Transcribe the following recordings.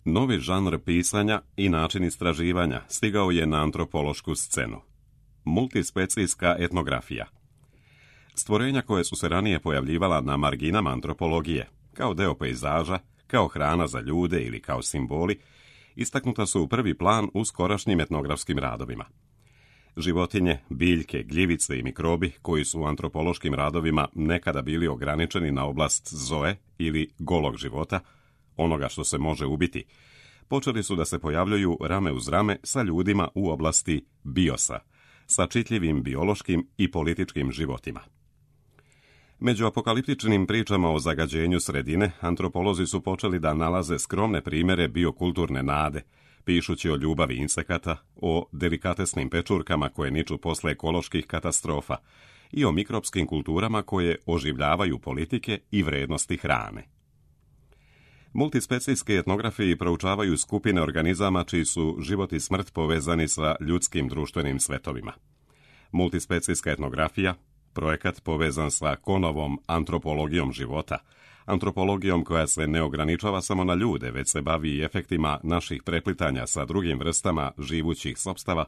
Novi žanr pisanja i način istraživanja stigao je na antropološku scenu. Multispecijska etnografija. Stvorenja koje su se ranije pojavljivala na marginama antropologije, kao deo pejzaža, kao hrana za ljude ili kao simboli, istaknuta su u prvi plan u skorašnjim etnografskim radovima. Životinje, biljke, gljivice i mikrobi, koji su u antropološkim radovima nekada bili ograničeni na oblast zoe ili golog života, onoga što se može ubiti, počeli su da se pojavljuju rame uz rame sa ljudima u oblasti biosa, sa čitljivim biološkim i političkim životima. Među apokaliptičnim pričama o zagađenju sredine, antropolozi su počeli da nalaze skromne primere biokulturne nade, pišući o ljubavi insekata, o delikatesnim pečurkama koje niču posle ekoloških katastrofa i o mikropskim kulturama koje oživljavaju politike i vrednosti hrane. Multispecijske etnografiji proučavaju skupine organizama čiji su život i smrt povezani sa ljudskim društvenim svetovima. Multispecijska etnografija, projekat povezan sa Kohnovom antropologijom života, antropologijom koja se ne ograničava samo na ljude, već se bavi i efektima naših preplitanja sa drugim vrstama živućih sopstava,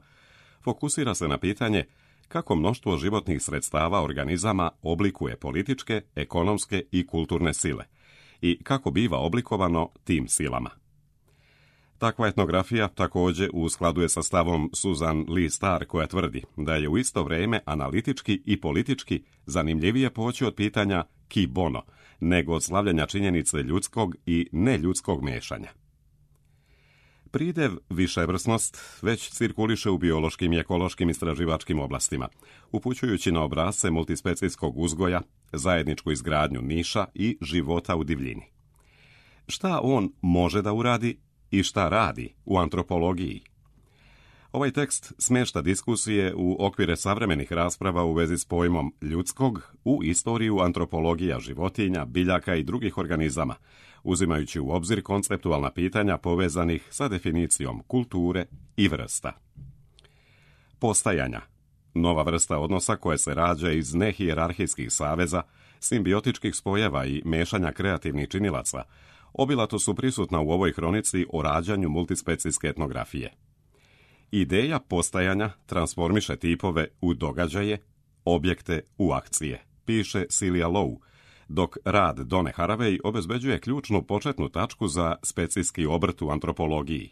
fokusira se na pitanje kako mnoštvo životnih sredstava organizama oblikuje političke, ekonomske i kulturne sile i kako biva oblikovano tim silama. Takva etnografija također u skladu je sa stavom Susan Lee Starr, koja tvrdi da je u isto vrijeme analitički i politički zanimljivije poći od pitanja ki bono, nego od slavljanja činjenice ljudskog i neljudskog miješanja. Pridev viševrsnost već cirkuliše u biološkim i ekološkim istraživačkim oblastima, upućujući na obrasce multispecijskog uzgoja, zajedničku izgradnju niša i života u divljini. Šta on može da uradi i šta radi u antropologiji? Ovaj tekst smješta diskusije u okvire savremenih rasprava u vezi s pojmom ljudskog u istoriju antropologija životinja, biljaka i drugih organizama, uzimajući u obzir konceptualna pitanja povezanih sa definicijom kulture i vrsta. Postajanja. Nova vrsta odnosa koja se rađa iz nehijerarhijskih saveza, simbiotičkih spojeva i mešanja kreativnih činilaca, obilato su prisutna u ovoj hronici o rađanju multispecijske etnografije. Ideja postajanja transformiše tipove u događaje, objekte u akcije, piše Celia Lowe, dok rad Donne Haraway obezbeđuje ključnu početnu tačku za specijski obrt u antropologiji.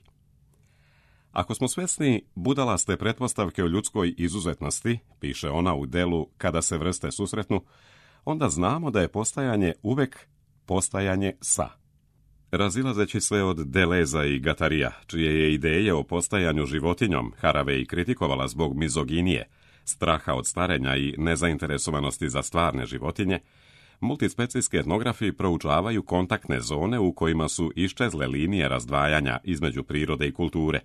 Ako smo svjesni budalaste pretpostavke o ljudskoj izuzetnosti, piše ona u delu Kada se vrste susretnu, onda znamo da je postajanje uvek postajanje sa. Razilazeći sve od Deleza i Guattarija, čije je ideje o postajanju životinjom Haraway kritikovala zbog mizoginije, straha od starenja i nezainteresovanosti za stvarne životinje, multispecijski etnografi proučavaju kontaktne zone u kojima su iščezle linije razdvajanja između prirode i kulture,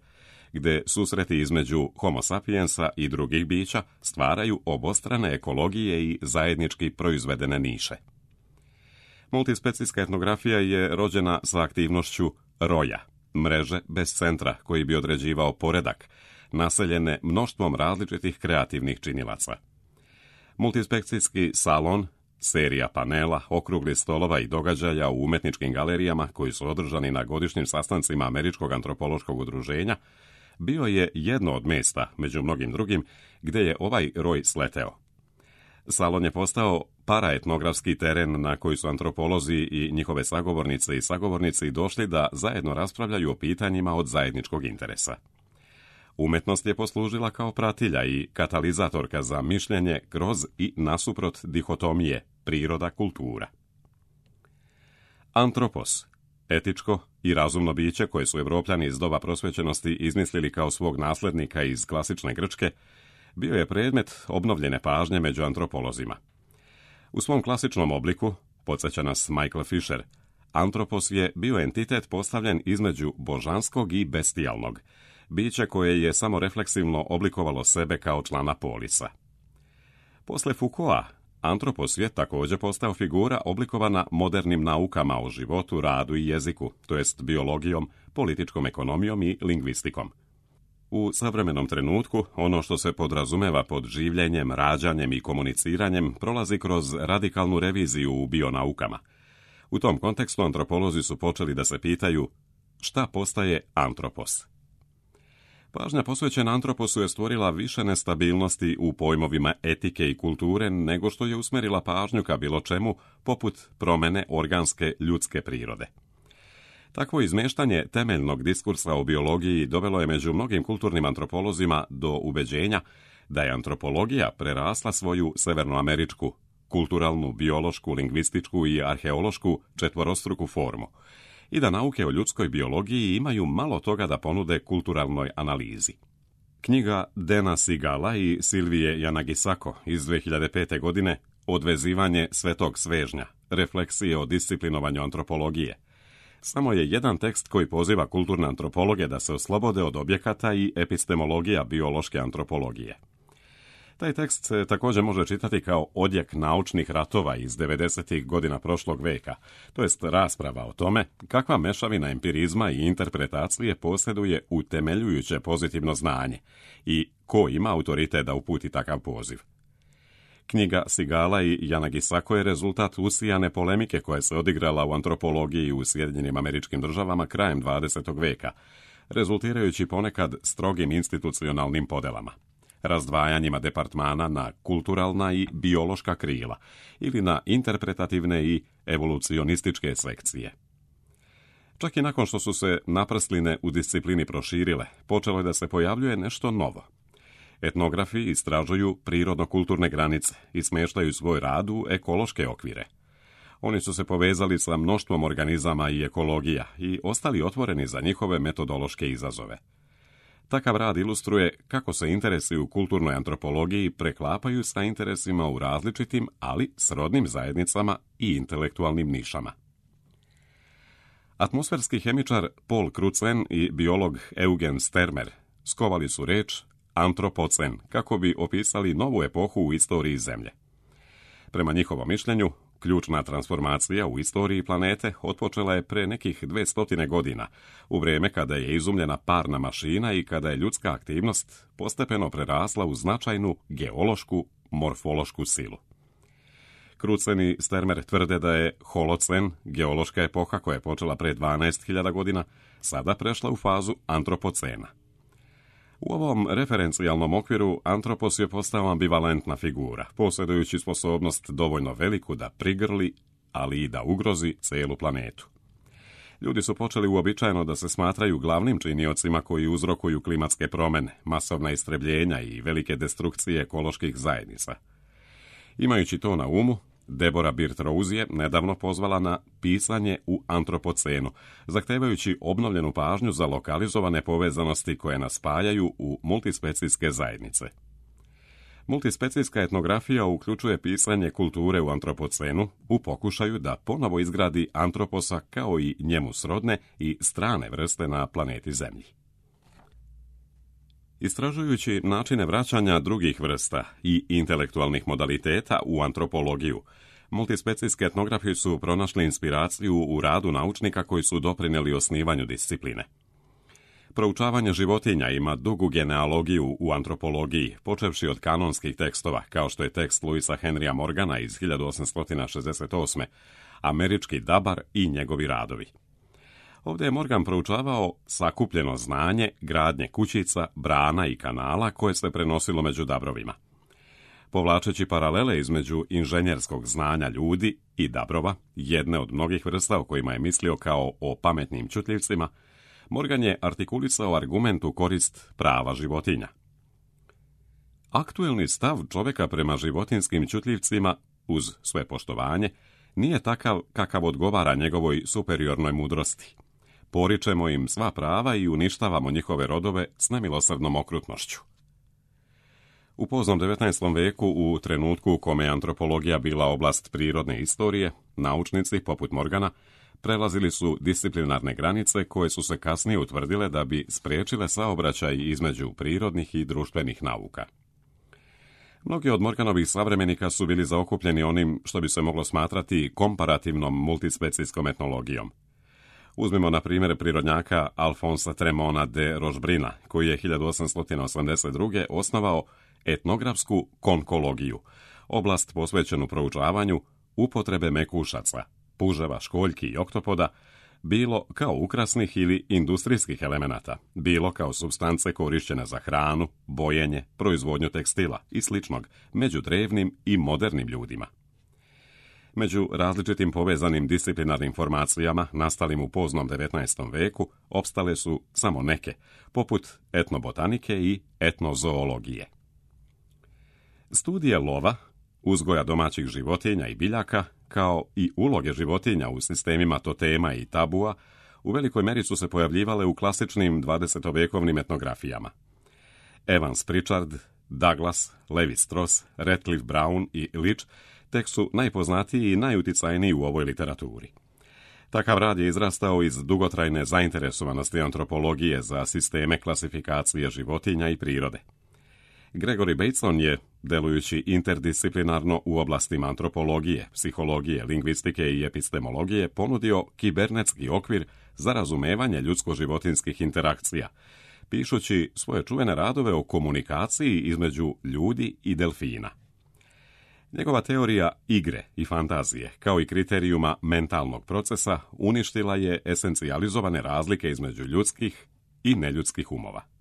gde susreti između homo sapiensa i drugih bića stvaraju obostrane ekologije i zajednički proizvedene niše. Multispecijska etnografija je rođena sa aktivnošću roja, mreže bez centra koji bi određivao poredak, naseljene mnoštvom različitih kreativnih činilaca. Multispekcijski salon, serija panela, okrugli stolova i događaja u umetničkim galerijama koji su održani na godišnjim sastancima Američkog antropološkog udruženja, bio je jedno od mjesta, među mnogim drugim, gdje je ovaj roj sleteo. Salon je postao paraetnografski teren na koji su antropolozi i njihove sagovornice i sagovornici došli da zajedno raspravljaju o pitanjima od zajedničkog interesa. Umetnost je poslužila kao pratilja i katalizatorka za mišljenje kroz i nasuprot dihotomije priroda-kultura. Antropos, etičko i razumno biće koje su Evropljani iz doba prosvećenosti izmislili kao svog naslednika iz klasične Grčke, bio je predmet obnovljene pažnje među antropolozima. U svom klasičnom obliku, podsjeća nas Michael Fisher, antropos je bio entitet postavljen između božanskog i bestijalnog, biće koje je samo refleksivno oblikovalo sebe kao člana polisa. Posle Foucaulta, antropos je također postao figura oblikovana modernim naukama o životu, radu i jeziku, to jest biologijom, političkom ekonomijom i lingvistikom. U savremenom trenutku, ono što se podrazumeva pod življenjem, rađanjem i komuniciranjem prolazi kroz radikalnu reviziju u bionaukama. U tom kontekstu antropolozi su počeli da se pitaju Šta postaje antropos? Pažnja posvećena antroposu je stvorila više nestabilnosti u pojmovima etike i kulture nego što je usmerila pažnju ka bilo čemu poput promene organske ljudske prirode. Takvo izmeštanje temeljnog diskursa o biologiji dovelo je među mnogim kulturnim antropolozima do ubeđenja da je antropologija prerasla svoju severnoameričku, kulturalnu, biološku, lingvističku i arheološku četvorostruku formu i da nauke o ljudskoj biologiji imaju malo toga da ponude kulturalnoj analizi. Knjiga Dana Sigala i Silvije Yanagisako iz 2005. godine Odvezivanje svetog svežnja, refleksije o disciplinovanju antropologije, samo je jedan tekst koji poziva kulturne antropologe da se oslobode od objekata i epistemologija biološke antropologije. Taj tekst se također može čitati kao odjek naučnih ratova iz 90. godina prošlog veka, to jest rasprava o tome kakva mešavina empirizma i interpretacije posjeduje utemeljujuće pozitivno znanje i ko ima autoritet da uputi takav poziv. Knjiga Sigala i Yanagisako je rezultat usijane polemike koja se odigrala u antropologiji u Sjedinjenim Američkim Državama krajem 20. veka, rezultirajući ponekad strogim institucionalnim podelama, razdvajanjima departmana na kulturalna i biološka krila ili na interpretativne i evolucionističke sekcije. Čak i nakon što su se naprsline u disciplini proširile, počelo je da se pojavljuje nešto novo. Etnografi istražuju prirodno-kulturne granice i smještaju svoj rad u ekološke okvire. Oni su se povezali sa mnoštvom organizama i ekologija i ostali otvoreni za njihove metodološke izazove. Takav rad ilustruje kako se interesi u kulturnoj antropologiji preklapaju sa interesima u različitim, ali srodnim zajednicama i intelektualnim nišama. Atmosferski hemičar Paul Crutzen i biolog Eugen Stermer skovali su reč antropocen kako bi opisali novu epohu u istoriji Zemlje. Prema njihovom mišljenju, ključna transformacija u istoriji planete otpočela je pre nekih 200 godina, u vrijeme kada je izumljena parna mašina i kada je ljudska aktivnost postepeno prerasla u značajnu geološku, morfološku silu. Crutzen i Stermer tvrde da je holocen, geološka epoha koja je počela pre 12.000 godina, sada prešla u fazu antropocena. U ovom referencijalnom okviru antropos je postao ambivalentna figura, posjedujući sposobnost dovoljno veliku da prigrli, ali i da ugrozi cijelu planetu. Ljudi su počeli uobičajeno da se smatraju glavnim činiocima koji uzrokuju klimatske promjene, masovna istrebljenja i velike destrukcije ekoloških zajednica. Imajući to na umu, Deborah Bird-Rose je nedavno pozvala na pisanje u antropocenu, zahtevajući obnovljenu pažnju za lokalizovane povezanosti koje nas spajaju u multispecijske zajednice. Multispecijska etnografija uključuje pisanje kulture u antropocenu u pokušaju da ponovo izgradi antroposa kao i njemu srodne i strane vrste na planeti Zemlji. Istražujući načine vraćanja drugih vrsta i intelektualnih modaliteta u antropologiju, multispecijski etnografi su pronašli inspiraciju u radu naučnika koji su doprinijeli osnivanju discipline. Proučavanje životinja ima dugu genealogiju u antropologiji, počevši od kanonskih tekstova, kao što je tekst Louisa Henrya Morgana iz 1868. Američki dabar i njegovi radovi. Ovdje je Morgan proučavao sakupljeno znanje gradnje kućica, brana i kanala koje se prenosilo među dabrovima. Povlačeći paralele između inženjerskog znanja ljudi i dabrova, jedne od mnogih vrsta o kojima je mislio kao o pametnim čutljivcima, Morgan je artikulisao argument u korist prava životinja. Aktuelni stav čovjeka prema životinskim čutljivcima, uz sve poštovanje, nije takav kakav odgovara njegovoj superiornoj mudrosti. Poričemo im sva prava i uništavamo njihove rodove s nemilosrdnom okrutnošću. U poznom 19. veku, u trenutku u kome je antropologija bila oblast prirodne istorije, naučnici, poput Morgana, prelazili su disciplinarne granice koje su se kasnije utvrdile da bi spriječile saobraćaj između prirodnih i društvenih nauka. Mnogi od Morganovih savremenika su bili zaokupljeni onim što bi se moglo smatrati komparativnom multispecijskom etnologijom. Uzmimo na primjer prirodnjaka Alfonsa Tremona de Rochebruna, koji je 1882. osnovao etnografsku konkologiju, oblast posvećenu proučavanju upotrebe mekušaca, puževa, školjki i oktopoda, bilo kao ukrasnih ili industrijskih elemenata, bilo kao supstance korišćene za hranu, bojenje, proizvodnju tekstila i sličnog među drevnim i modernim ljudima. Među različitim povezanim disciplinarnim formacijama nastalim u poznom 19. veku opstale su samo neke, poput etnobotanike i etnozoologije. Studije lova, uzgoja domaćih životinja i biljaka, kao i uloge životinja u sistemima totema i tabua, u velikoj meri su se pojavljivale u klasičnim 20-vekovnim etnografijama. Evans Pritchard, Douglas, Levi Strauss, Radcliffe Brown i Leach tek su najpoznatiji i najuticajniji u ovoj literaturi. Takav rad je izrastao iz dugotrajne zainteresovanosti antropologije za sisteme klasifikacije životinja i prirode. Gregory Bateson je, delujući interdisciplinarno u oblastima antropologije, psihologije, lingvistike i epistemologije, ponudio kibernetski okvir za razumevanje ljudsko-životinskih interakcija, pišući svoje čuvene radove o komunikaciji između ljudi i delfina. Njegova teorija igre i fantazije, kao i kriterijuma mentalnog procesa, uništila je esencijalizovane razlike između ljudskih i neljudskih umova.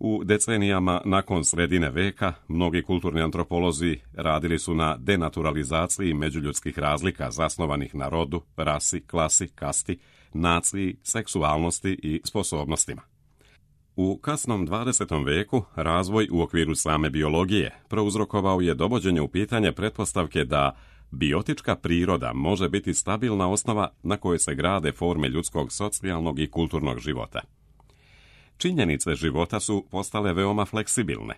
U decenijama nakon sredine veka, mnogi kulturni antropolozi radili su na denaturalizaciji međuljudskih razlika zasnovanih na rodu, rasi, klasi, kasti, naciji, seksualnosti i sposobnostima. U kasnom 20. veku razvoj u okviru same biologije prouzrokovao je dovođenje u pitanje pretpostavke da biotička priroda može biti stabilna osnova na kojoj se grade forme ljudskog socijalnog i kulturnog života. Činjenice života su postale veoma fleksibilne.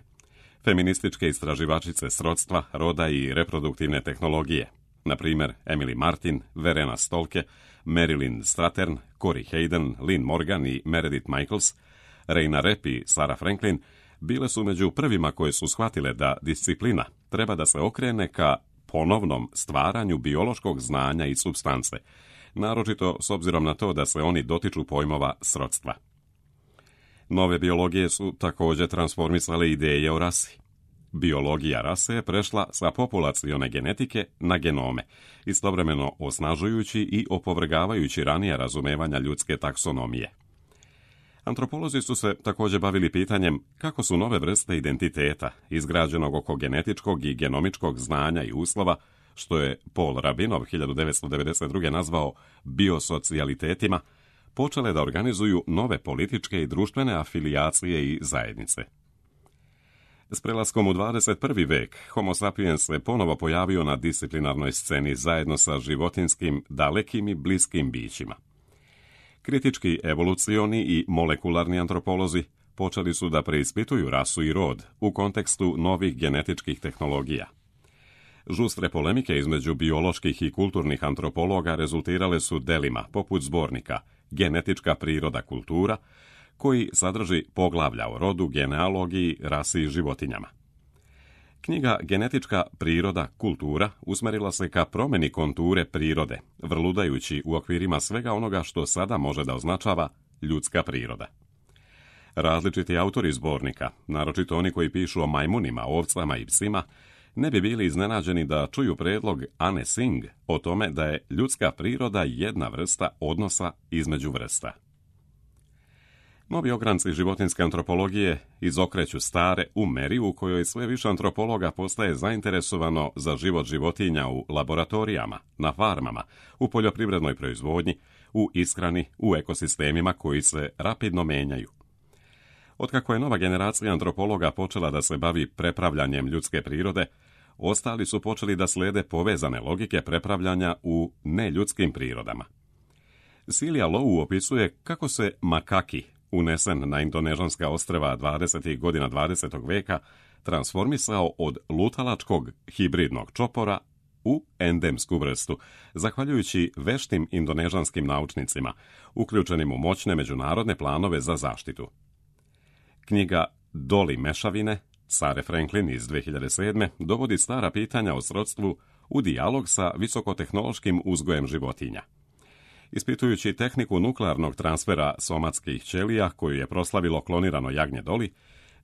Feminističke istraživačice srodstva, roda i reproduktivne tehnologije, na primjer Emily Martin, Verena Stolke, Marilyn Strathern, Corey Hayden, Lynn Morgan i Meredith Michaels, Reina Rep i Sarah Franklin, bile su među prvima koje su shvatile da disciplina treba da se okrene ka ponovnom stvaranju biološkog znanja i supstance, naročito s obzirom na to da se oni dotiču pojmova srodstva. Nove biologije su također transformisale ideje o rasi. Biologija rase je prešla sa populacione genetike na genome, istovremeno osnažujući i opovrgavajući ranije razumevanja ljudske taksonomije. Antropolozi su se također bavili pitanjem kako su nove vrste identiteta, izgrađenog oko genetičkog i genomičkog znanja i uslova, što je Paul Rabinov 1992. nazvao biosocijalitetima, počele da organizuju nove političke i društvene afilijacije i zajednice. S prelaskom u 21. vek, Homo sapiens se ponovo pojavio na disciplinarnoj sceni zajedno sa životinskim, dalekim i bliskim bićima. Kritički evolucioni i molekularni antropolozi počeli su da preispituju rasu i rod u kontekstu novih genetičkih tehnologija. Žustre polemike između bioloških i kulturnih antropologa rezultirale su delima poput zbornika Genetička priroda kultura, koji sadrži poglavlja o rodu, genealogiji, rasi i životinjama. Knjiga Genetička priroda kultura usmerila se ka promjeni konture prirode, vrludajući u okvirima svega onoga što sada može da označava ljudska priroda. Različiti autori zbornika, naročito oni koji pišu o majmunima, ovcama i psima, ne bi bili iznenađeni da čuju predlog Anne Singh o tome da je ljudska priroda jedna vrsta odnosa između vrsta. Novi ogranci životinjske antropologije izokreću stare u meri u kojoj sve više antropologa postaje zainteresovano za život životinja u laboratorijama, na farmama, u poljoprivrednoj proizvodnji, u ishrani, u ekosistemima koji se rapidno menjaju. Otkako je nova generacija antropologa počela da se bavi prepravljanjem ljudske prirode, ostali su počeli da slede povezane logike prepravljanja u neljudskim prirodama. Silja Low opisuje kako se makaki, unesen na indonežanska ostrva 20. godina 20. veka, transformisao od lutalačkog hibridnog čopora u endemsku vrstu, zahvaljujući veštim indonežanskim naučnicima, uključenim u moćne međunarodne planove za zaštitu. Knjiga Doli mešavine, Sarah Franklin iz 2007. dovodi stara pitanja o srodstvu u dijalog sa visokotehnološkim uzgojem životinja. Ispitujući tehniku nuklearnog transfera somatskih ćelija koju je proslavilo klonirano jagnje Doli,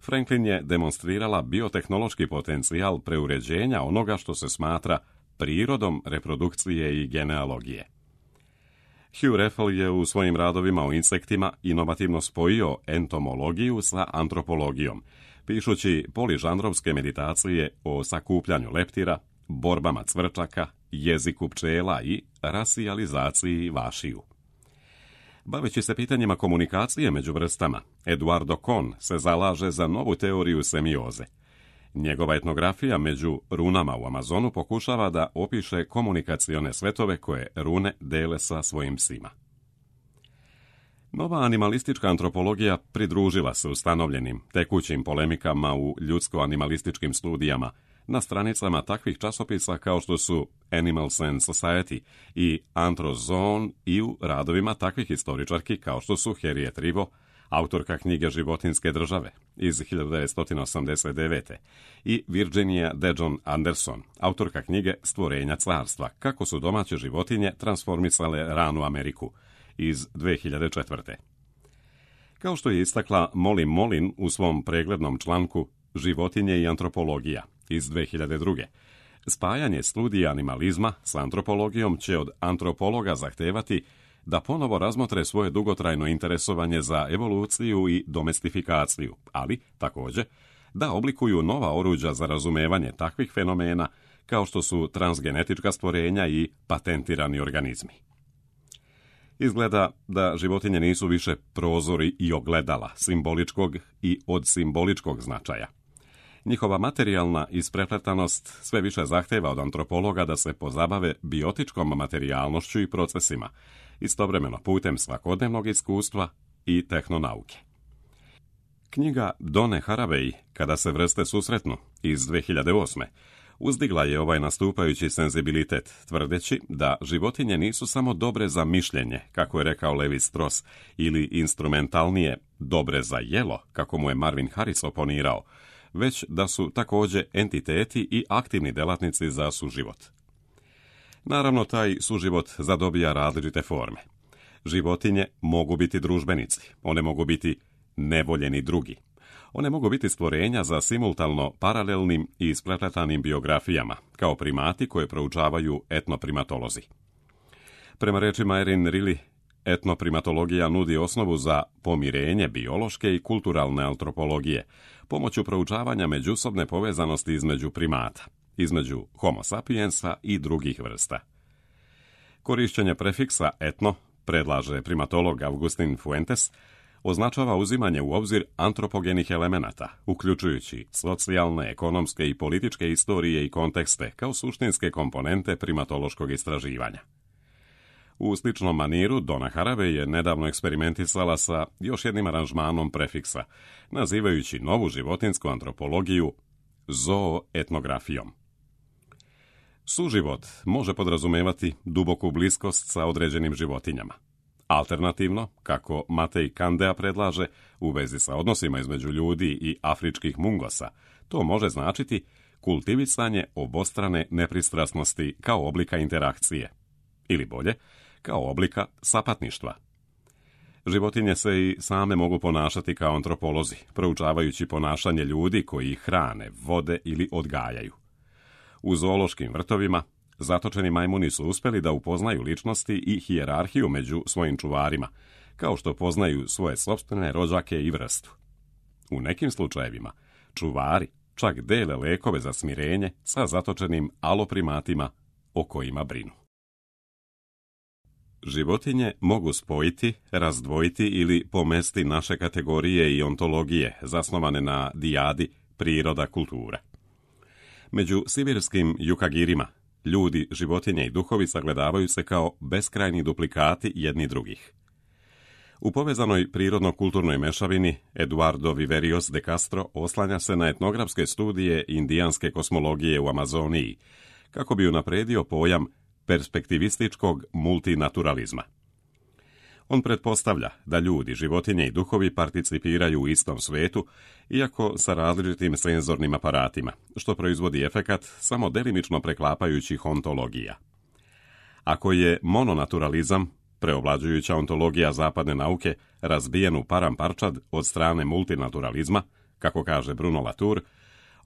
Franklin je demonstrirala biotehnološki potencijal preuređenja onoga što se smatra prirodom reprodukcije i genealogije. Hugh Raffel je u svojim radovima o insektima inovativno spojio entomologiju sa antropologijom, pišući poližanrovske meditacije o sakupljanju leptira, borbama cvrčaka, jeziku pčela i rasijalizaciji vašiju. Baveći se pitanjima komunikacije među vrstama, Eduardo Kohn se zalaže za novu teoriju semioze. Njegova etnografija među runama u Amazonu pokušava da opiše komunikacione svetove koje rune dele sa svojim psima. Nova animalistička antropologija pridružila se ustanovljenim tekućim polemikama u ljudsko-animalističkim studijama na stranicama takvih časopisa kao što su Animals and Society i Anthrozoon i u radovima takvih istoričarki kao što su Harriet Rivo, autorka knjige Životinjske države iz 1989. i Virginia Dejon Anderson, autorka knjige Stvorenja carstva, kako su domaće životinje transformisale ranu Ameriku iz 2004. Kao što je istakla Molly Molin u svom preglednom članku Životinje i antropologija iz 2002. Spajanje studija animalizma s antropologijom će od antropologa zahtevati da ponovo razmotre svoje dugotrajno interesovanje za evoluciju i domestifikaciju, ali također da oblikuju nova oruđa za razumevanje takvih fenomena kao što su transgenetička stvorenja i patentirani organizmi. Izgleda da životinje nisu više prozori i ogledala simboličkog i od simboličkog značaja. Njihova materijalna isprepletanost sve više zahteva od antropologa da se pozabave biotičkom materijalnošću i procesima, istovremeno putem svakodnevnog iskustva i tehnonauke. Knjiga Done Haraway, Kada se vrste susretnu, iz 2008. uzdigla je ovaj nastupajući senzibilitet, tvrdeći da životinje nisu samo dobre za mišljenje, kako je rekao Levi Strauss, ili instrumentalnije dobre za jelo, kako mu je Marvin Harris oponirao, već da su također entiteti i aktivni delatnici za suživot. Naravno, taj suživot zadobija različite forme. Životinje mogu biti družbenici, one mogu biti nevoljeni drugi. One mogu biti stvorenja za simultalno paralelnim i isprepletanim biografijama, kao primati koje proučavaju etnoprimatolozi. Prema rečima Erin Riley, etnoprimatologija nudi osnovu za pomirenje biološke i kulturalne antropologije, pomoću proučavanja međusobne povezanosti između primata, između homo sapiensa i drugih vrsta. Korišćenje prefiksa etno, predlaže primatolog Augustin Fuentes, označava uzimanje u obzir antropogenih elemenata, uključujući socijalne, ekonomske i političke istorije i kontekste kao suštinske komponente primatološkog istraživanja. U sličnom maniru Donna Haraway je nedavno eksperimentisala sa još jednim aranžmanom prefiksa, nazivajući novu životinsku antropologiju zooetnografijom. Suživot može podrazumevati duboku bliskost sa određenim životinjama. Alternativno, kako Matej Kandea predlaže, u vezi sa odnosima između ljudi i afričkih mungosa, to može značiti kultivisanje obostrane nepristrasnosti kao oblika interakcije, ili bolje, kao oblika sapatništva. Životinje se i same mogu ponašati kao antropolozi, proučavajući ponašanje ljudi koji ih hrane, vode ili odgajaju. U zoološkim vrtovima zatočeni majmuni su uspjeli da upoznaju ličnosti i hijerarhiju među svojim čuvarima, kao što poznaju svoje sopstvene rođake i vrstu. U nekim slučajevima čuvari čak dele lekove za smirenje sa zatočenim aloprimatima o kojima brinu. Životinje mogu spojiti, razdvojiti ili pomesti naše kategorije i ontologije zasnovane na dijadi priroda kultura. Među sibirskim jukagirima ljudi, životinje i duhovi sagledavaju se kao beskrajni duplikati jedni drugih. U povezanoj prirodno-kulturnoj mešavini Eduardo Viverios de Castro oslanja se na etnografske studije indijanske kosmologije u Amazoniji, kako bi unapredio pojam perspektivističkog multinaturalizma. On pretpostavlja da ljudi, životinje i duhovi participiraju u istom svetu, iako sa različitim senzornim aparatima, što proizvodi efekat samo delimično preklapajućih ontologija. Ako je mononaturalizam, preovlađujuća ontologija zapadne nauke, razbijen u paramparčad od strane multinaturalizma, kako kaže Bruno Latour,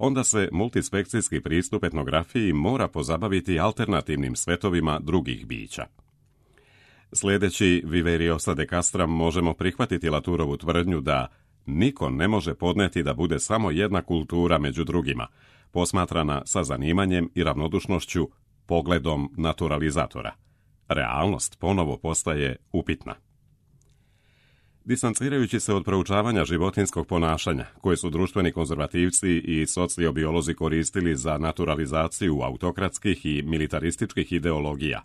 onda se multispekcijski pristup etnografiji mora pozabaviti alternativnim svetovima drugih bića. Sljedeći Viveriosa de Castram možemo prihvatiti Laturovu tvrdnju da niko ne može podneti da bude samo jedna kultura među drugima, posmatrana sa zanimanjem i ravnodušnošću, pogledom naturalizatora. Realnost ponovo postaje upitna. Distancirajući se od proučavanja životinjskog ponašanja, koje su društveni konzervativci i sociobiolozi koristili za naturalizaciju autokratskih i militarističkih ideologija,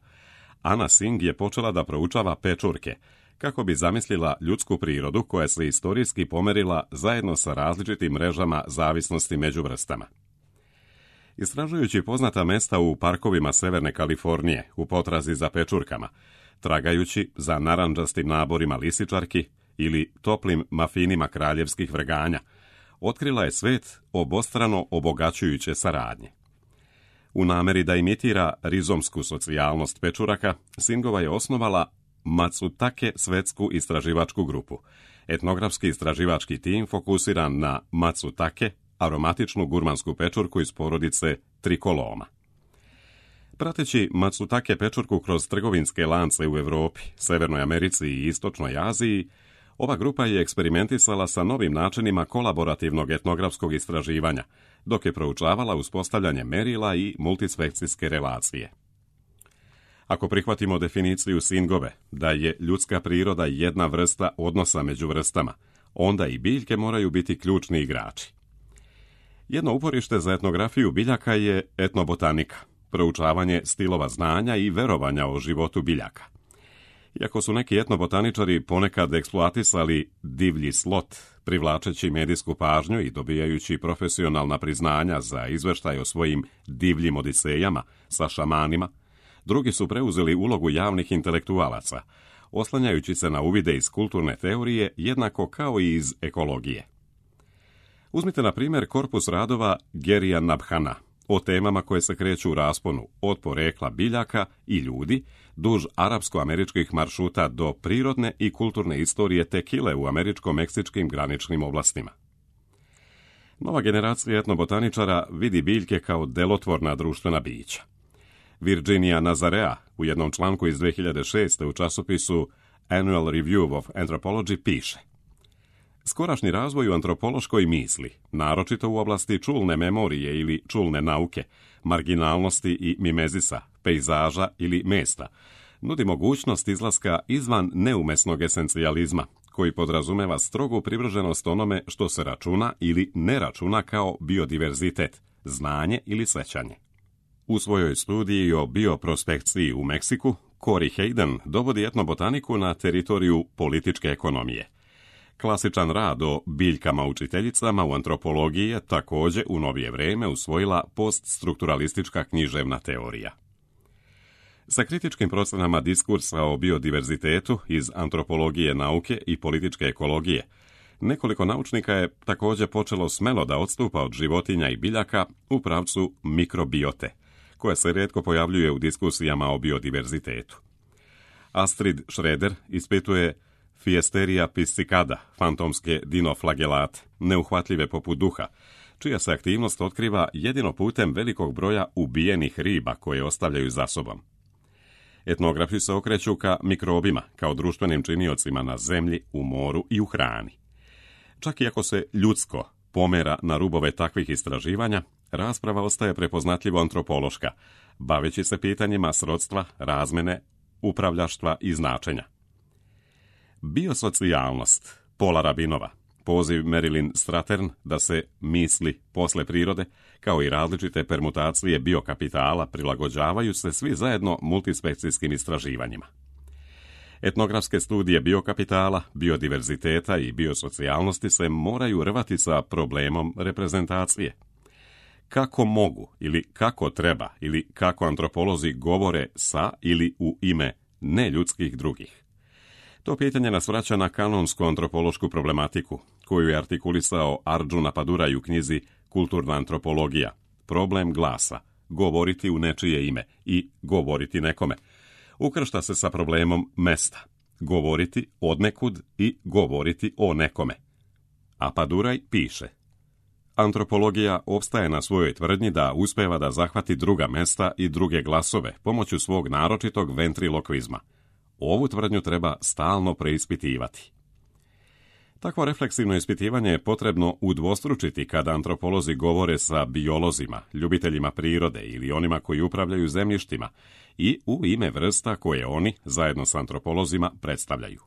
Anna Sing je počela da proučava pečurke, kako bi zamislila ljudsku prirodu koja se istorijski pomerila zajedno sa različitim mrežama zavisnosti među vrstama. Istražujući poznata mesta u parkovima Severne Kalifornije u potrazi za pečurkama, tragajući za narandžastim naborima lisičarki ili toplim mafinima kraljevskih vrganja, otkrila je svet obostrano obogaćujuće saradnje. U nameri da imitira rizomsku socijalnost pečuraka, Singova je osnovala Matsutake svetsku istraživačku grupu, etnografski istraživački tim fokusiran na Matsutake, aromatičnu gurmansku pečurku iz porodice trikoloma. Prateći Matsutake pečurku kroz trgovinske lance u Europi, Severnoj Americi i Istočnoj Aziji, ova grupa je eksperimentisala sa novim načinima kolaborativnog etnografskog istraživanja, dok je proučavala uspostavljanje merila i multispekcijske relacije. Ako prihvatimo definiciju Singove da je ljudska priroda jedna vrsta odnosa među vrstama, onda i biljke moraju biti ključni igrači. Jedno uporište za etnografiju biljaka je etnobotanika, proučavanje stilova znanja i verovanja o životu biljaka. Iako su neki etnobotaničari ponekad eksploatisali divlji slot, privlačeći medijsku pažnju i dobijajući profesionalna priznanja za izveštaj o svojim divljim odisejama sa šamanima, drugi su preuzeli ulogu javnih intelektualaca, oslanjajući se na uvide iz kulturne teorije jednako kao i iz ekologije. Uzmite na primjer korpus radova Gerija Nabhana o temama koje se kreću u rasponu od porekla biljaka i ljudi duž arapsko-američkih maršruta do prirodne i kulturne istorije tekile u američko-meksičkim graničnim oblastima. Nova generacija etnobotaničara vidi biljke kao delotvorna društvena bića. Virginia Nazarea u jednom članku iz 2006. u časopisu Annual Review of Anthropology piše: skorašnji razvoj u antropološkoj misli, naročito u oblasti čulne memorije ili čulne nauke, marginalnosti i mimezisa, pejzaža ili mesta, nudi mogućnost izlaska izvan neumesnog esencijalizma, koji podrazumeva strogu privrženost onome što se računa ili ne računa kao biodiverzitet, znanje ili sećanje. U svojoj studiji o bioprospekciji u Meksiku, Corey Hayden dovodi etnobotaniku na teritoriju političke ekonomije. Klasičan rad o biljkama učiteljicama u antropologiji je također u novije vrijeme usvojila poststrukturalistička književna teorija. Sa kritičkim procenama diskursa o biodiverzitetu iz antropologije nauke i političke ekologije, nekoliko naučnika je također počelo smelo da odstupa od životinja i biljaka u pravcu mikrobiote, koja se rijetko pojavljuje u diskusijama o biodiverzitetu. Astrid Schroeder ispituje Fiesteria piscicada, fantomske dinoflagelate, neuhvatljive poput duha, čija se aktivnost otkriva jedino putem velikog broja ubijenih riba koje ostavljaju za sobom. Etnografi se okreću ka mikrobima kao društvenim činiocima na zemlji, u moru i u hrani. Čak i ako se ljudsko pomera na rubove takvih istraživanja, rasprava ostaje prepoznatljivo antropološka, baveći se pitanjima srodstva, razmene, upravljaštva i značenja. Biosocijalnost Paula Rabinova, poziv Marilyn Strathern da se misli posle prirode, kao i različite permutacije biokapitala prilagođavaju se svi zajedno multispekcijskim istraživanjima. Etnografske studije biokapitala, biodiverziteta i biosocijalnosti se moraju rvati sa problemom reprezentacije. Kako mogu ili kako treba ili kako antropolozi govore sa ili u ime neljudskih drugih? To pitanje nas vraća na kanonsku antropološku problematiku, koju je artikulisao Arjuna Paduraj u knjizi Kulturna antropologija, problem glasa, govoriti u nečije ime i govoriti nekome. Ukršta se sa problemom mesta, govoriti odnekud i govoriti o nekome. A Paduraj piše: antropologija opstaje na svojoj tvrdnji da uspeva da zahvati druga mesta i druge glasove pomoću svog naročitog ventrilokvizma. ovu tvrdnju treba stalno preispitivati. Takvo refleksivno ispitivanje je potrebno udvostručiti kada antropolozi govore sa biolozima, ljubiteljima prirode ili onima koji upravljaju zemljištima i u ime vrsta koje oni, zajedno s antropolozima, predstavljaju.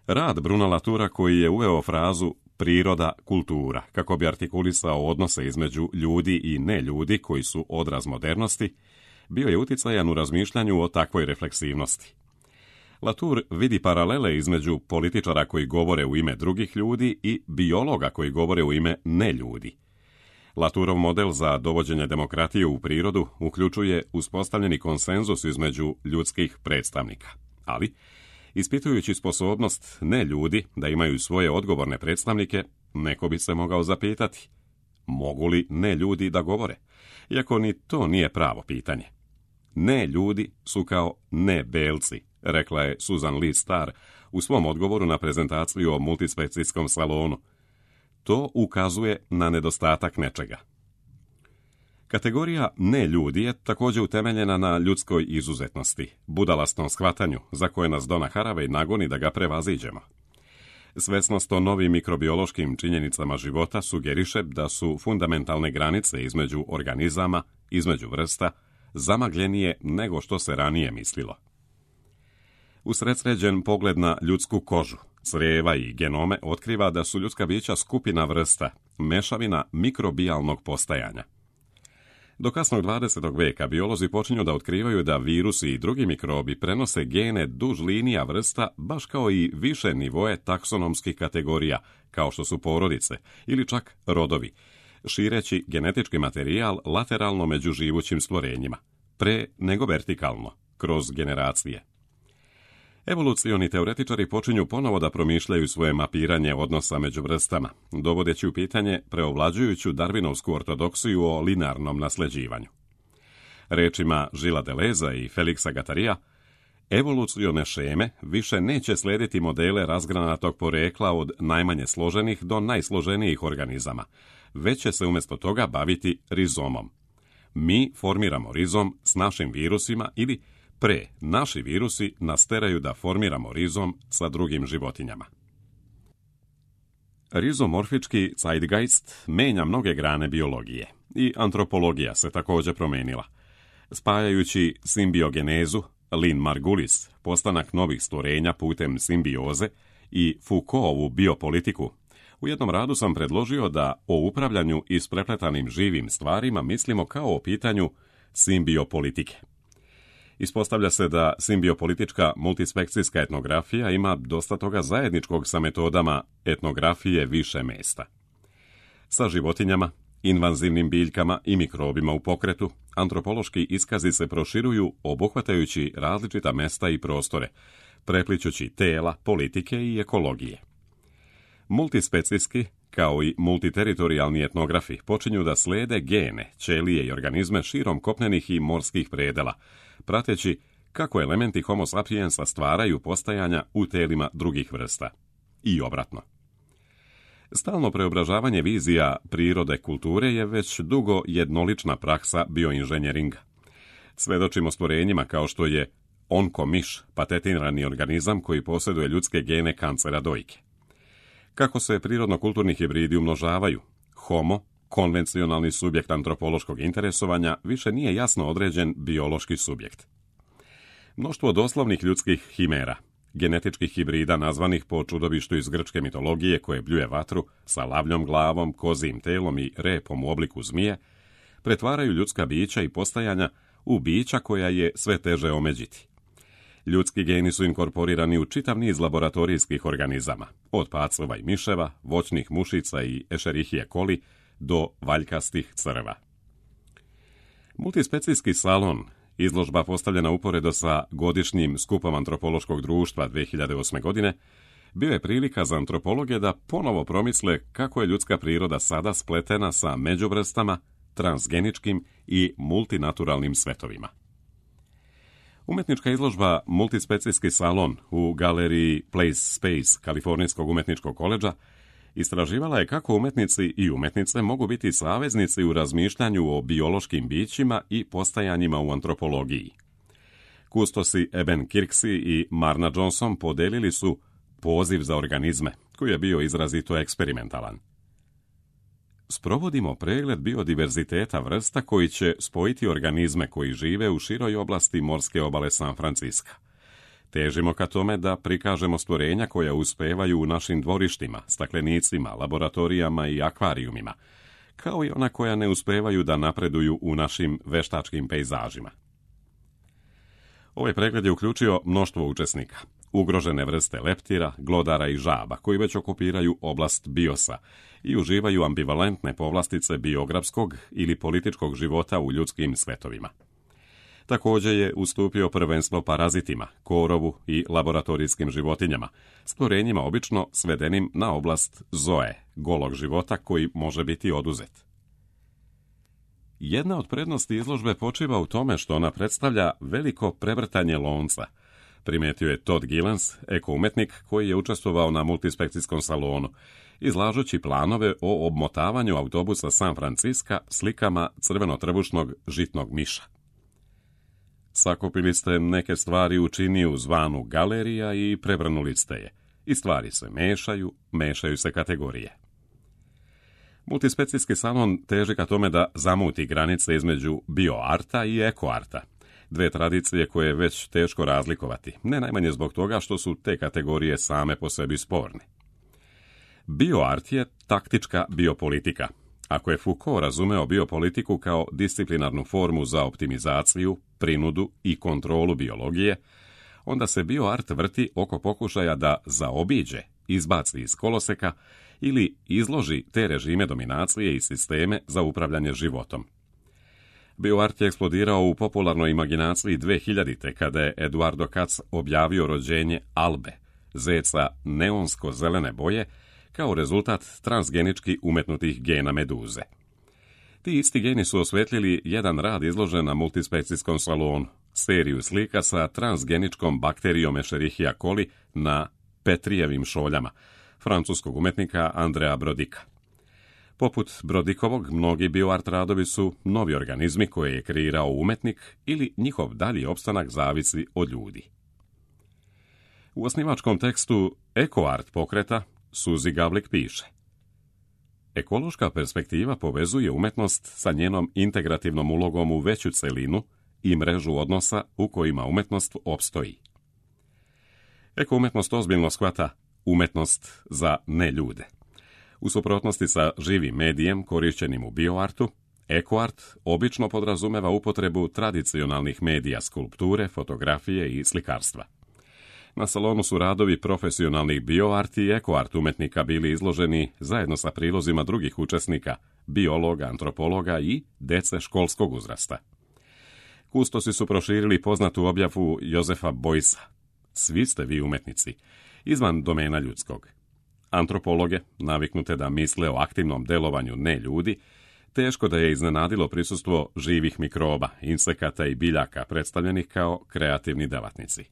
Rad Bruna Latoura, koji je uveo frazu priroda, kultura, kako bi artikulisao odnose između ljudi i neljudi koji su odraz modernosti, bio je uticajan u razmišljanju o takvoj refleksivnosti. Latour vidi paralele između političara koji govore u ime drugih ljudi i biologa koji govore u ime neljudi. Latourov model za dovođenje demokratije u prirodu uključuje uspostavljeni konsenzus između ljudskih predstavnika, ali ispitujući sposobnost neljudi da imaju svoje odgovorne predstavnike, neko bi se mogao zapitati, mogu li neljudi da govore, iako ni to nije pravo pitanje. Neljudi su kao nebelci, rekla je Susan Lee Starr u svom odgovoru na prezentaciju o multispecijskom salonu. To ukazuje na nedostatak nečega. Kategorija neljudi je također utemeljena na ljudskoj izuzetnosti, budalastnom shvatanju za koje nas Donna Haraway nagoni da ga prevaziđemo. Svesnost o novim mikrobiološkim činjenicama života sugeriše da su fundamentalne granice između organizama, između vrsta, zamagljenije nego što se ranije mislilo. Usredsređen pogled na ljudsku kožu, crijeva i genome otkriva da su ljudska bića skupina vrsta, mešavina mikrobijalnog postajanja. Do kasnog 20. veka biolozi počinju da otkrivaju da virusi i drugi mikrobi prenose gene duž linija vrsta, baš kao i više nivoe taksonomskih kategorija, kao što su porodice ili čak rodovi, šireći genetički materijal lateralno među živućim stvorenjima, pre nego vertikalno, kroz generacije. Evolucioni teoretičari počinju ponovo da promišljaju svoje mapiranje odnosa među vrstama, dovodeći u pitanje preovlađujuću darvinovsku ortodoksiju o linearnom nasljeđivanju. Rečima Gilesa Deleuza i Felixa Guattari'a, evolucione šeme više neće slijediti modele razgranatog porekla od najmanje složenih do najsloženijih organizama, već će se umjesto toga baviti rizomom. Mi formiramo rizom s našim virusima ili naši virusi nas teraju da formiramo rizom sa drugim životinjama. Rizomorfički zeitgeist menja mnoge grane biologije i antropologija se također promenila. Spajajući simbiogenezu, Lynn Margulis, postanak novih stvorenja putem simbioze i Foucaultovu biopolitiku, u jednom radu sam predložio da o upravljanju isprepletanim živim stvarima mislimo kao o pitanju simbiopolitike. Ispostavlja se da simbiopolitička multispekcijska etnografija ima dosta toga zajedničkog sa metodama etnografije više mesta. Sa životinjama, invazivnim biljkama i mikrobima u pokretu, antropološki iskazi se proširuju obuhvatajući različita mesta i prostore, preplićući tela, politike i ekologije. Multispecijski, kao i multiteritorijalni etnografi, počinju da slede gene, ćelije i organizme širom kopnenih i morskih predela, prateći kako elementi Homo sapiensa stvaraju postajanja u telima drugih vrsta. I obratno. Stalno preobražavanje vizija prirode kulture je već dugo jednolična praksa bioinženjeringa. Svedočimo stvorenjima kao što je onkomiš, patentirani organizam koji posjeduje ljudske gene kancera dojke. Kako se prirodno-kulturni hibridi umnožavaju, Homo, konvencionalni subjekt antropološkog interesovanja, više nije jasno određen biološki subjekt. Mnoštvo doslovnih ljudskih himera, genetičkih hibrida nazvanih po čudovištu iz grčke mitologije koje bljuje vatru sa lavljom glavom, kozijim telom i repom u obliku zmije, pretvaraju ljudska bića i postajanja u bića koja je sve teže omeđiti. Ljudski geni su inkorporirani u čitav niz laboratorijskih organizama, od pacova i miševa, voćnih mušica i Escherichia coli do valjkastih crva. Multispecijski salon, izložba postavljena uporedo sa godišnjim skupom antropološkog društva 2008. godine, bio je prilika za antropologe da ponovo promisle kako je ljudska priroda sada spletena sa međuvrstama, transgeničkim i multinaturalnim svetovima. Umetnička izložba Multispecijski salon u galeriji Place Space Kalifornijskog umetničkog koledža istraživala je kako umetnici i umetnice mogu biti saveznici u razmišljanju o biološkim bićima i postajanjima u antropologiji. Kustosi Eben Kirksey i Marna Johnson podelili su poziv za organizme, koji je bio izrazito eksperimentalan. Sprovodimo pregled biodiverziteta vrsta koji će spojiti organizme koji žive u široj oblasti morske obale San Franciska. Težimo ka tome da prikažemo stvorenja koja uspevaju u našim dvorištima, staklenicima, laboratorijama i akvarijumima, kao i ona koja ne uspevaju da napreduju u našim veštačkim pejzažima. Ovaj pregled je uključio mnoštvo učesnika, ugrožene vrste leptira, glodara i žaba, koji već okupiraju oblast biosa i uživaju ambivalentne povlastice biografskog ili političkog života u ljudskim svetovima. Također je ustupio prvenstvo parazitima, korovu i laboratorijskim životinjama, stvorenjima obično svedenim na oblast zoe, golog života koji može biti oduzet. Jedna od prednosti izložbe počiva u tome što ona predstavlja veliko prevrtanje lonca, primetio je Todd Gillens, ekoumetnik koji je učestvovao na multispekcijskom salonu, izlažući planove o obmotavanju autobusa San Franciska slikama crveno-trbušnog žitnog miša. Sakupili ste neke stvari u činiju zvanu galerija i prevrnuli ste je. I stvari se mešaju se kategorije. Multispecijski salon teži ka tome da zamuti granice između bioarta i ekoarta, dve tradicije koje je već teško razlikovati, ne najmanje zbog toga što su te kategorije same po sebi sporne. Bioart je taktička biopolitika. Ako je Foucault razumeo biopolitiku kao disciplinarnu formu za optimizaciju, prinudu i kontrolu biologije, onda se bioart vrti oko pokušaja da zaobiđe, izbaci iz koloseka ili izloži te režime dominacije i sisteme za upravljanje životom. Bioart je eksplodirao u popularnoj imaginaciji 2000. kada je Eduardo Katz objavio rođenje Albe, zeca neonsko-zelene boje, kao rezultat transgenički umetnutih gena meduze. Ti isti geni su osvetlili jedan rad izložen na multispekcijskom salonu, seriju slika sa transgeničkom bakterijom Escherichia coli na Petrijevim šoljama, francuskog umetnika Andrea Brodika. Poput Brodikovog, mnogi bioart radovi su novi organizmi koje je kreirao umetnik ili njihov dalji opstanak zavisi od ljudi. U osnivačkom tekstu ekoart pokreta Suzy Gavlik piše: ekološka perspektiva povezuje umetnost sa njenom integrativnom ulogom u veću celinu i mrežu odnosa u kojima umetnost opstoji. Ekoumetnost ozbiljno shvata umetnost za neljude. U suprotnosti sa živim medijem korišćenim u bioartu, ekoart obično podrazumeva upotrebu tradicionalnih medija skulpture, fotografije i slikarstva. Na salonu su radovi profesionalnih bioart i ekoart umetnika bili izloženi zajedno sa prilozima drugih učesnika, biologa, antropologa i dece školskog uzrasta. Kustosi su proširili poznatu objavu Josefa Boysa: svi ste vi umetnici, izvan domena ljudskog. Antropologe, naviknute da misle o aktivnom delovanju ne ljudi, teško da je iznenadilo prisustvo živih mikroba, insekata i biljaka predstavljenih kao kreativni delatnici.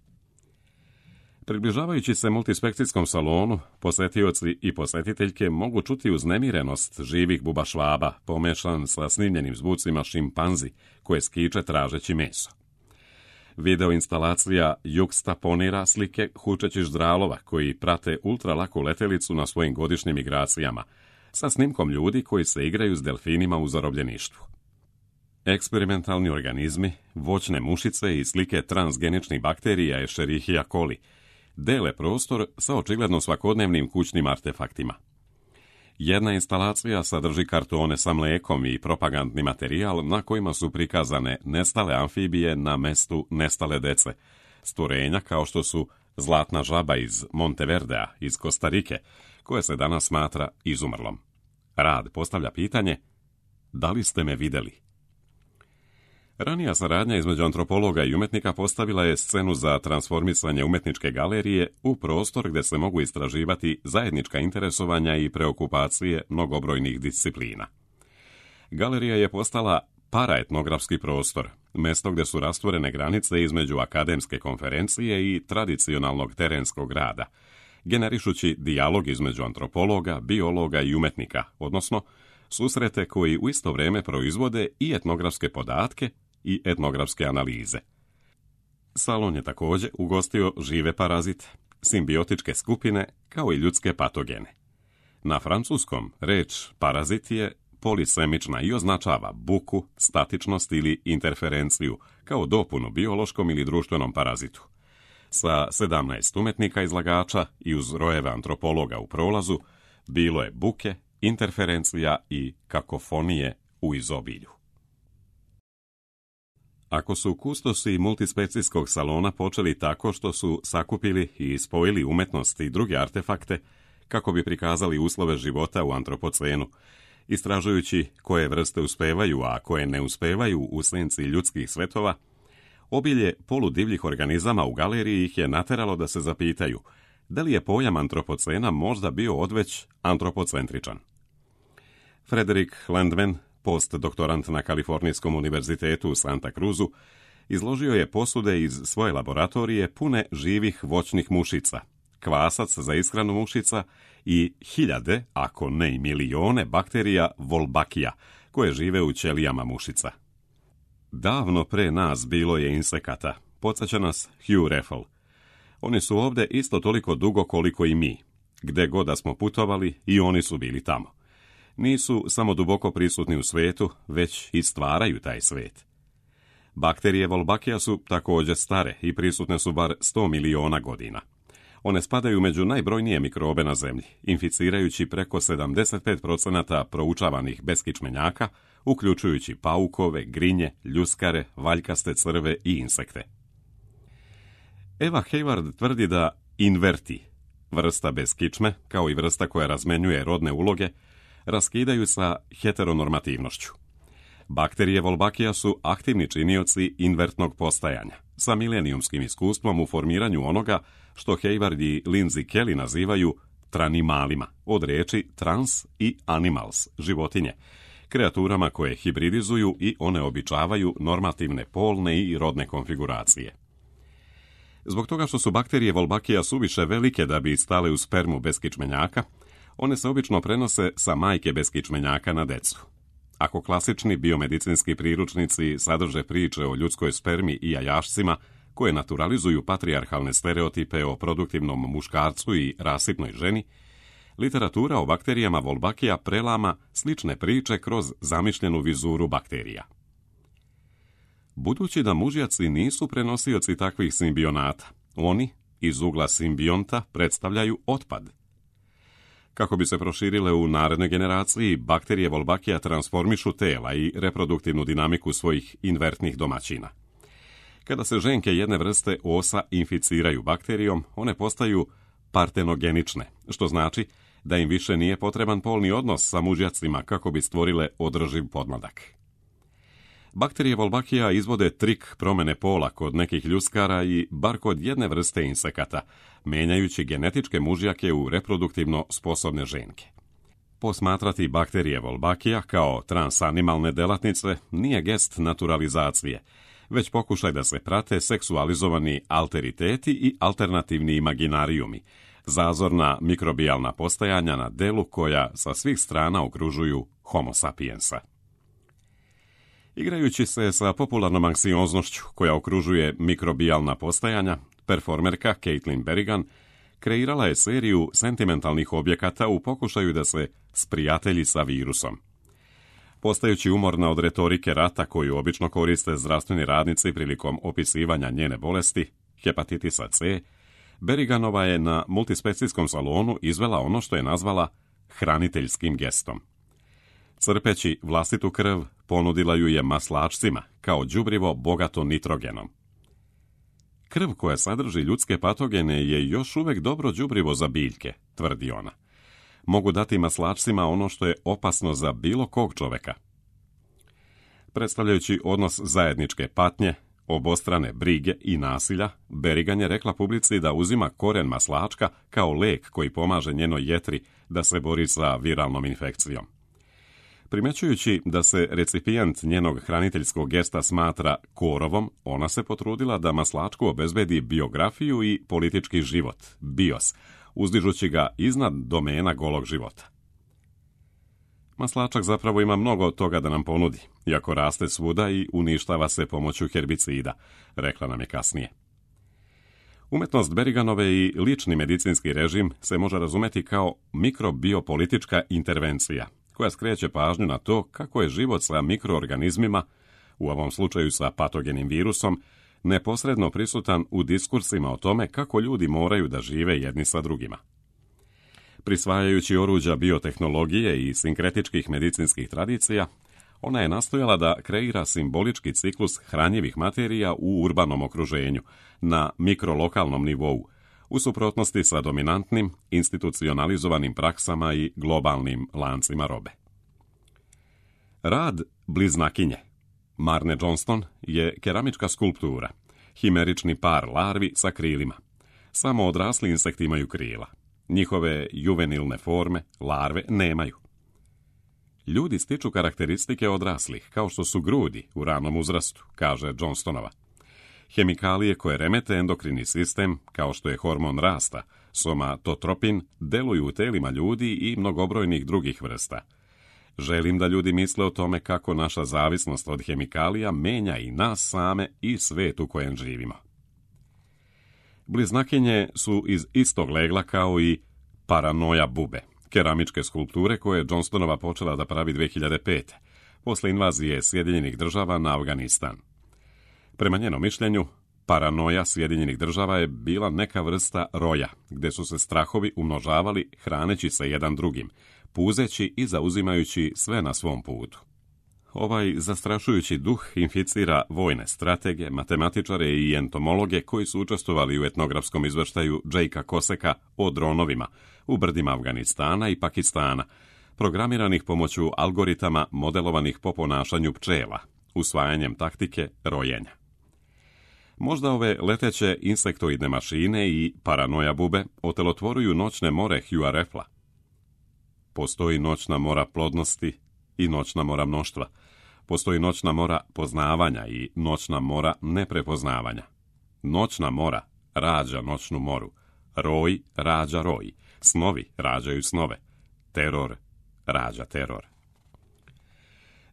Približavajući se multispekcijskom salonu, posetioci i posetiteljke mogu čuti uznemirenost živih bubašvaba, pomešan sa snimljenim zvucima šimpanzi koje skiče tražeći meso. Video instalacija jukstaponira slike hučećih ždralova koji prate ultralaku letelicu na svojim godišnjim migracijama, sa snimkom ljudi koji se igraju s delfinima u zarobljeništvu. Eksperimentalni organizmi, voćne mušice i slike transgeničnih bakterija Escherichia coli dele prostor sa očigledno svakodnevnim kućnim artefaktima. Jedna instalacija sadrži kartone sa mlekom i propagandni materijal na kojima su prikazane nestale amfibije na mestu nestale dece, stvorenja kao što su zlatna žaba iz Monteverdea, iz Kostarike, koje se danas smatra izumrlom. Rad postavlja pitanje: da li ste me vidjeli? Ranija saradnja između antropologa i umetnika postavila je scenu za transformisanje umetničke galerije u prostor gdje se mogu istraživati zajednička interesovanja i preokupacije mnogobrojnih disciplina. Galerija je postala paraetnografski prostor, mjesto gdje su rastvorene granice između akademske konferencije i tradicionalnog terenskog rada, generišući dijalog između antropologa, biologa i umetnika, odnosno susrete koji u isto vrijeme proizvode i etnografske podatke i etnografske analize. Salon je također ugostio žive parazite, simbiotičke skupine kao i ljudske patogene. Na francuskom reč parazit je polisemična i označava buku, statičnost ili interferenciju kao dopunu biološkom ili društvenom parazitu. Sa 17 umetnika izlagača i uz rojeve antropologa u prolazu bilo je buke, interferencija i kakofonije u izobilju. Ako su kustosi multispecijskog salona počeli tako što su sakupili i spojili umetnost i druge artefakte kako bi prikazali uslove života u antropocenu, istražujući koje vrste uspevaju, a koje ne uspevaju u senci ljudskih svetova, obilje poludivljih organizama u galeriji ih je nateralo da se zapitaju da li je pojam antropocena možda bio odveć antropocentričan. Frederick Landman, postdoktorant na Kalifornijskom univerzitetu u Santa Cruzu, izložio je posude iz svoje laboratorije pune živih voćnih mušica, kvasac za ishranu mušica i hiljade, ako ne i milione, bakterija Wolbachia, koje žive u ćelijama mušica. Davno pre nas bilo je insekata, podsjeća nas Hugh Raffel. Oni su ovdje isto toliko dugo koliko i mi. Gde god da smo putovali, i oni su bili tamo. Nisu samo duboko prisutni u svetu, već i stvaraju taj svet. Bakterije Wolbachia su također stare i prisutne su bar 100 miliona godina. One spadaju među najbrojnije mikrobe na zemlji, inficirajući preko 75% proučavanih beskičmenjaka, uključujući paukove, grinje, ljuskare, valjkaste crve i insekte. Eva Hayward tvrdi da inverti, vrsta bez kičme, kao i vrsta koja razmenjuje rodne uloge, raskidaju sa heteronormativnošću. Bakterije Wolbachia su aktivni činioci invertnog postajanja, sa milenijumskim iskustvom u formiranju onoga što Hayward i Lindsay Kelly nazivaju tranimalima, od riječi trans i animals, životinje, kreaturama koje hibridizuju i oneobičavaju normativne polne i rodne konfiguracije. Zbog toga što su bakterije Wolbachia suviše velike da bi stale u spermu beskičmenjaka, one se obično prenose sa majke beskičmenjaka na decu. Ako klasični biomedicinski priručnici sadrže priče o ljudskoj spermi i jajašcima koje naturalizuju patrijarhalne stereotipe o produktivnom muškarcu i rasipnoj ženi, literatura o bakterijama Wolbachia prelama slične priče kroz zamišljenu vizuru bakterija. Budući da mužjaci nisu prenosioci takvih simbionata, oni iz ugla simbionta predstavljaju otpad. Kako bi se proširile u narednoj generaciji, bakterije Wolbachia transformišu tela i reproduktivnu dinamiku svojih invertnih domaćina. Kada se ženke jedne vrste osa inficiraju bakterijom, one postaju partenogenične, što znači da im više nije potreban polni odnos sa mužjacima kako bi stvorile održiv podmladak. Bakterije Wolbachia izvode trik promjene pola kod nekih ljuskara i bar kod jedne vrste insekata, menjajući genetičke mužjake u reproduktivno sposobne ženke. Posmatrati bakterije Wolbachia kao transanimalne delatnice nije gest naturalizacije, već pokušaj da se prate seksualizovani alteriteti i alternativni imaginarijumi, zazorna mikrobijalna postajanja na delu koja sa svih strana okružuju Homo sapiensa. Igrajući se sa popularnom anksioznošću koja okružuje mikrobijalna postajanja, performerka Caitlin Berrigan kreirala je seriju sentimentalnih objekata u pokušaju da se sprijatelji sa virusom. Postajući umorna od retorike rata koju obično koriste zdravstveni radnici prilikom opisivanja njene bolesti, hepatitisa C, Berriganova je na multispecijskom salonu izvela ono što je nazvala hraniteljskim gestom. Crpeći vlastitu krv, ponudila ju je maslačcima kao đubrivo bogato nitrogenom. Krv koja sadrži ljudske patogene je još uvek dobro đubrivo za biljke, tvrdi ona. Mogu dati maslačcima ono što je opasno za bilo kog čoveka. Predstavljajući odnos zajedničke patnje, obostrane brige i nasilja, Berrigan je rekla publici da uzima koren maslačka kao lek koji pomaže njenoj jetri da se bori sa viralnom infekcijom. Primećujući da se recipijent njenog hraniteljskog gesta smatra korovom, ona se potrudila da maslačku obezbedi biografiju i politički život, bios, uzdižući ga iznad domena golog života. Maslačak zapravo ima mnogo toga da nam ponudi, iako raste svuda i uništava se pomoću herbicida, rekla nam je kasnije. Umjetnost Beriganove i lični medicinski režim se može razumjeti kao mikrobiopolitička intervencija, koja skreće pažnju na to kako je život sa mikroorganizmima, u ovom slučaju sa patogenim virusom, neposredno prisutan u diskursima o tome kako ljudi moraju da žive jedni sa drugima. Prisvajajući oruđa biotehnologije i sinkretičkih medicinskih tradicija, ona je nastojala da kreira simbolički ciklus hranjivih materija u urbanom okruženju, na mikrolokalnom nivou, u suprotnosti sa dominantnim, institucionalizovanim praksama i globalnim lancima robe. Rad bliznakinje Marne Johnston je keramička skulptura, himerični par larvi sa krilima. Samo odrasli insekti imaju krila. Njihove juvenilne forme, larve, nemaju. Ljudi stiču karakteristike odraslih, kao što su grudi u ranom uzrastu, kaže Johnstonova. Hemikalije koje remete endokrini sistem, kao što je hormon rasta, somatotropin, deluju u telima ljudi i mnogobrojnih drugih vrsta. Želim da ljudi misle o tome kako naša zavisnost od hemikalija menja i nas same i svet u kojem živimo. Bliznakinje su iz istog legla kao i paranoja bube, keramičke skulpture koje je Johnstonova počela da pravi 2005. posle invazije Sjedinjenih država na Afganistan. Prema njenom mišljenju, paranoja Sjedinjenih država je bila neka vrsta roja, gde su se strahovi umnožavali hraneći se jedan drugim, puzeći i zauzimajući sve na svom putu. Ovaj zastrašujući duh inficira vojne stratege, matematičare i entomologe koji su učestvovali u etnografskom izveštaju Jakea Koseka o dronovima u brdima Afganistana i Pakistana, programiranih pomoću algoritama modelovanih po ponašanju pčela, usvajanjem taktike rojenja. Možda ove leteće insektoidne mašine i paranoja bube otelotvoruju noćne more Hugh'a Raffla. Postoji noćna mora plodnosti i noćna mora mnoštva. Postoji noćna mora poznavanja i noćna mora neprepoznavanja. Noćna mora rađa noćnu moru. Roj rađa roj. Snovi rađaju snove. Teror rađa teror.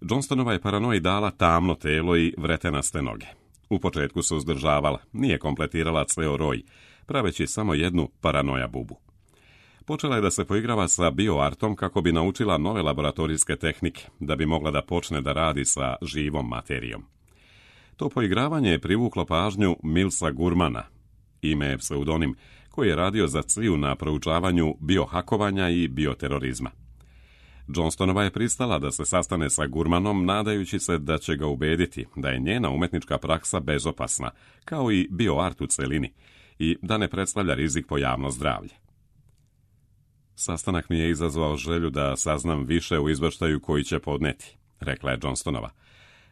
Johnstonova je paranoji dala tamno telo i vretenaste noge. U početku se uzdržavala, nije kompletirala ceo roj, praveći samo jednu paranoja bubu. Počela je da se poigrava sa bioartom kako bi naučila nove laboratorijske tehnike, da bi mogla da počne da radi sa živom materijom. To poigravanje je privuklo pažnju Milsa Gurmana, ime je pseudonim, koji je radio za CIA na proučavanju biohakovanja i bioterorizma. Johnstonova je pristala da se sastane sa Gurmanom, nadajući se da će ga ubediti da je njena umetnička praksa bezopasna, kao i bioart u celini, i da ne predstavlja rizik po javno zdravlje. Sastanak mi je izazvao želju da saznam više u izveštaju koji će podneti, rekla je Johnstonova.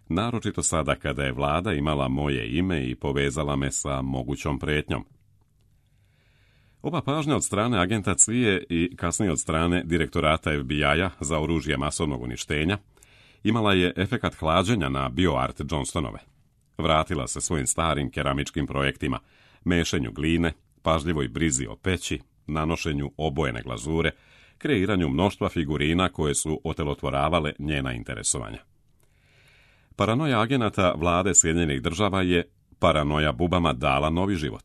Naročito sada kada je vlada imala moje ime i povezala me sa mogućom pretnjom. Ova pažnja od strane agenta CIA i kasnije od strane direktorata FBI-a za oružje masovnog uništenja imala je efekat hlađenja na bioart Johnstonove. Vratila se svojim starim keramičkim projektima, mešenju gline, pažljivoj brizi o peći, nanošenju obojene glazure, kreiranju mnoštva figurina koje su otelotvoravale njena interesovanja. Paranoja agenata vlade Sjedinjenih država je paranoja bubama dala novi život.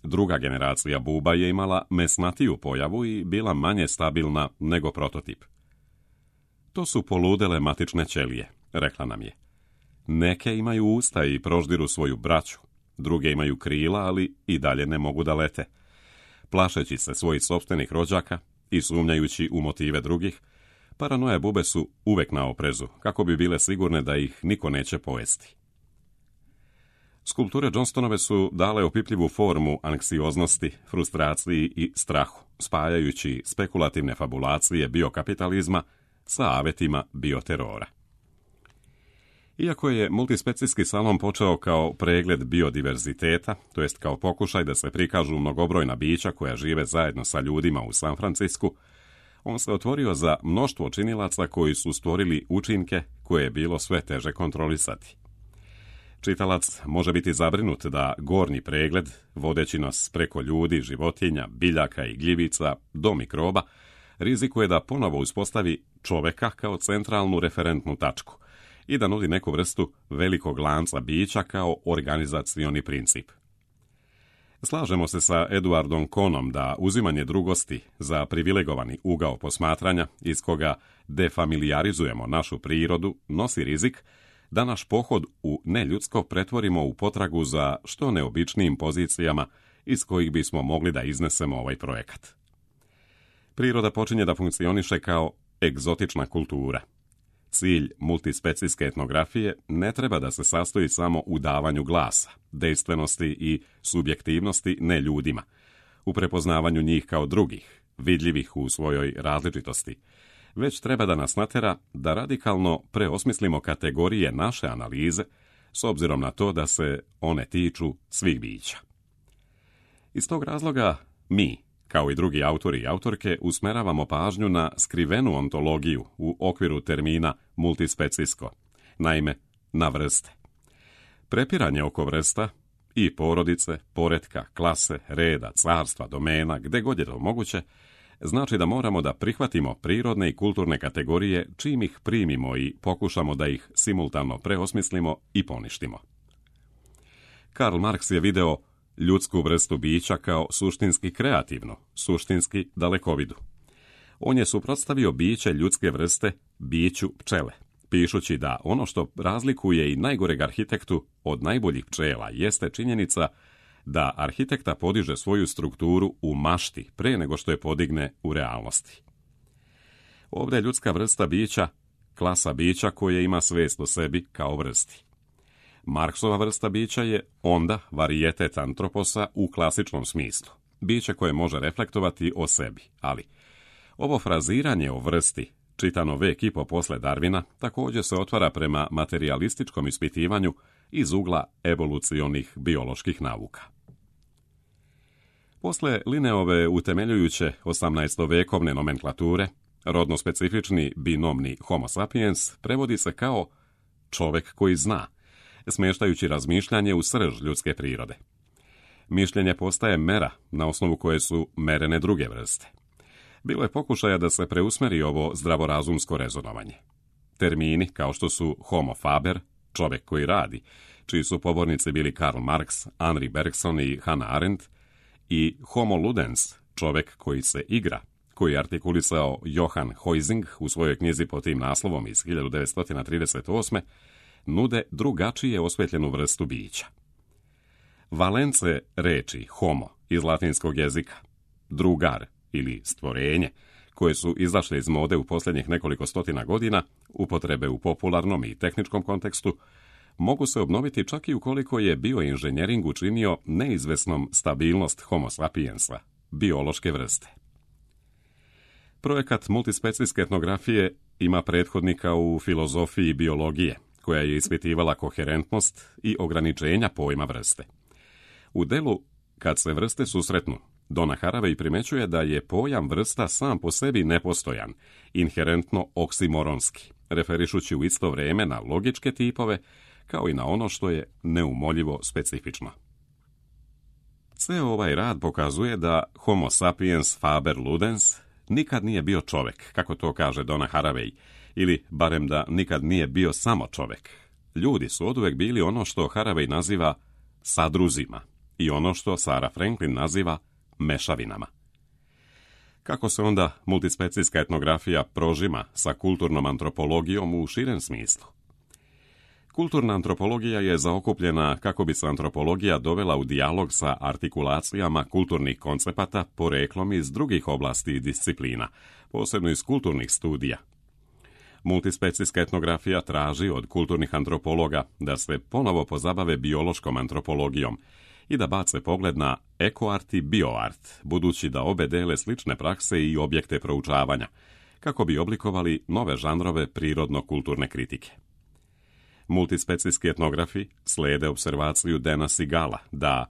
Druga generacija buba je imala mesnatiju pojavu i bila manje stabilna nego prototip. To su poludele matične ćelije, rekla nam je. Neke imaju usta i proždiru svoju braću, druge imaju krila, ali i dalje ne mogu da lete. Plašeći se svojih sopstvenih rođaka i sumnjajući u motive drugih, paranoje bube su uvek na oprezu, kako bi bile sigurne da ih niko neće pojesti. Skulpture Johnstonove su dale opipljivu formu anksioznosti, frustraciji i strahu, spajajući spekulativne fabulacije biokapitalizma sa avetima bioterora. Iako je multispecijski salon počeo kao pregled biodiverziteta, to jest kao pokušaj da se prikažu mnogobrojna bića koja žive zajedno sa ljudima u San Francisku, on se otvorio za mnoštvo činilaca koji su stvorili učinke koje je bilo sve teže kontrolisati. Čitalac može biti zabrinut da gornji pregled, vodeći nas preko ljudi, životinja, biljaka i gljivica do mikroba, rizikuje da ponovo uspostavi čoveka kao centralnu referentnu tačku i da nudi neku vrstu velikog lanca bića kao organizacioni princip. Slažemo se sa Eduardom Kohnom da uzimanje drugosti za privilegovani ugao posmatranja iz koga defamilijarizujemo našu prirodu nosi rizik da naš pohod u neljudsko pretvorimo u potragu za što neobičnijim pozicijama iz kojih bismo mogli da iznesemo ovaj projekat. Priroda počinje da funkcioniše kao egzotična kultura. Cilj multispecijske etnografije ne treba da se sastoji samo u davanju glasa, dejstvenosti i subjektivnosti ne ljudima, u prepoznavanju njih kao drugih, vidljivih u svojoj različitosti, već treba da nas natera da radikalno preosmislimo kategorije naše analize s obzirom na to da se one tiču svih bića. Iz tog razloga mi, kao i drugi autori i autorke, usmeravamo pažnju na skrivenu ontologiju u okviru termina multispecijsko, naime na vrste. Prepiranje oko vrsta i porodice, poretka, klase, reda, carstva, domena, gde god je to moguće, znači da moramo da prihvatimo prirodne i kulturne kategorije čim ih primimo i pokušamo da ih simultano preosmislimo i poništimo. Karl Marx je video ljudsku vrstu bića kao suštinski kreativnu, suštinski dalekovidu. On je suprotstavio biće ljudske vrste biću pčele, pišući da ono što razlikuje i najgoreg arhitektu od najboljih pčela jeste činjenica da arhitekta podiže svoju strukturu u mašti pre nego što je podigne u realnosti. Ovdje je ljudska vrsta bića klasa bića koje ima svest o sebi kao vrsti. Marksova vrsta bića je onda varijetet antroposa u klasičnom smislu, biće koje može reflektovati o sebi, ali ovo fraziranje o vrsti, čitano vek i po posle Darwina, također se otvara prema materijalističkom ispitivanju iz ugla evolucionih bioloških nauka. Posle Linneove utemeljujuće 18-vekovne nomenklature, rodno specifični binomni Homo sapiens prevodi se kao čovek koji zna, smještajući razmišljanje u srž ljudske prirode. Mišljenje postaje mera na osnovu koje su merene druge vrste. Bilo je pokušaja da se preusmeri ovo zdravorazumsko rezonovanje. Termini kao što su homo faber, čovjek koji radi, čiji su pobornici bili Karl Marx, Henri Bergson i Hannah Arendt, i homo ludens, čovjek koji se igra, koji je artikulisao Johann Huizing u svojoj knjizi pod tim naslovom iz 1938. nude drugačije osvetljenu vrstu bića. Valence reči homo iz latinskog jezika, drugar ili stvorenje, koje su izašle iz mode u posljednjih nekoliko stotina godina, upotrebe u popularnom i tehničkom kontekstu, mogu se obnoviti čak i ukoliko je bioinženjering učinio neizvesnom stabilnost homo sapiensa, biološke vrste. Projekat multispecijske etnografije ima prethodnika u filozofiji biologije, koja je ispitivala koherentnost i ograničenja pojma vrste. U delu Kad se vrste susretnu, Donna Haraway primećuje da je pojam vrsta sam po sebi nepostojan, inherentno oksimoronski, referišući u isto vrijeme na logičke tipove, kao i na ono što je neumoljivo specifično. Ceo ovaj rad pokazuje da Homo sapiens faber ludens nikad nije bio čovek, kako to kaže Donna Haraway, ili barem da nikad nije bio samo čovek. Ljudi su oduvek bili ono što Haraway naziva sadruzima i ono što Sarah Franklin naziva mešavinama. Kako se onda multispecijska etnografija prožima sa kulturnom antropologijom u širem smislu? Kulturna antropologija je zaokupljena kako bi se antropologija dovela u dijalog sa artikulacijama kulturnih koncepata poreklom iz drugih oblasti i disciplina, posebno iz kulturnih studija. Multispecijska etnografija traži od kulturnih antropologa da se ponovo pozabave biološkom antropologijom i da bace pogled na ekoart i bioart, budući da obe dele slične prakse i objekte proučavanja, kako bi oblikovali nove žanrove prirodno-kulturne kritike. Multispecijski etnografi slijede observaciju Dana Sigala da,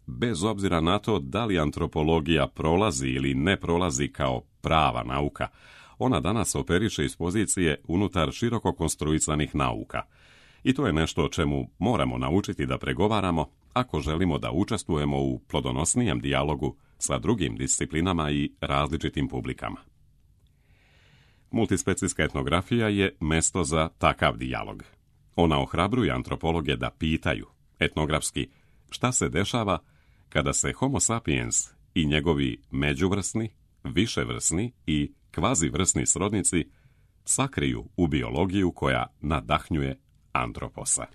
bez obzira na to da li antropologija prolazi ili ne prolazi kao prava nauka, ona danas operiše iz pozicije unutar široko konstruisanih nauka. I to je nešto o čemu moramo naučiti da pregovaramo ako želimo da učestvujemo u plodonosnijem dijalogu sa drugim disciplinama i različitim publikama. Multispecijska etnografija je mesto za takav dijalog. Ona ohrabruje antropologe da pitaju, etnografski, šta se dešava kada se Homo sapiens i njegovi međuvrsni, viševrsni i kvazivrsni srodnici sakriju u biologiju koja nadahnjuje antroposa.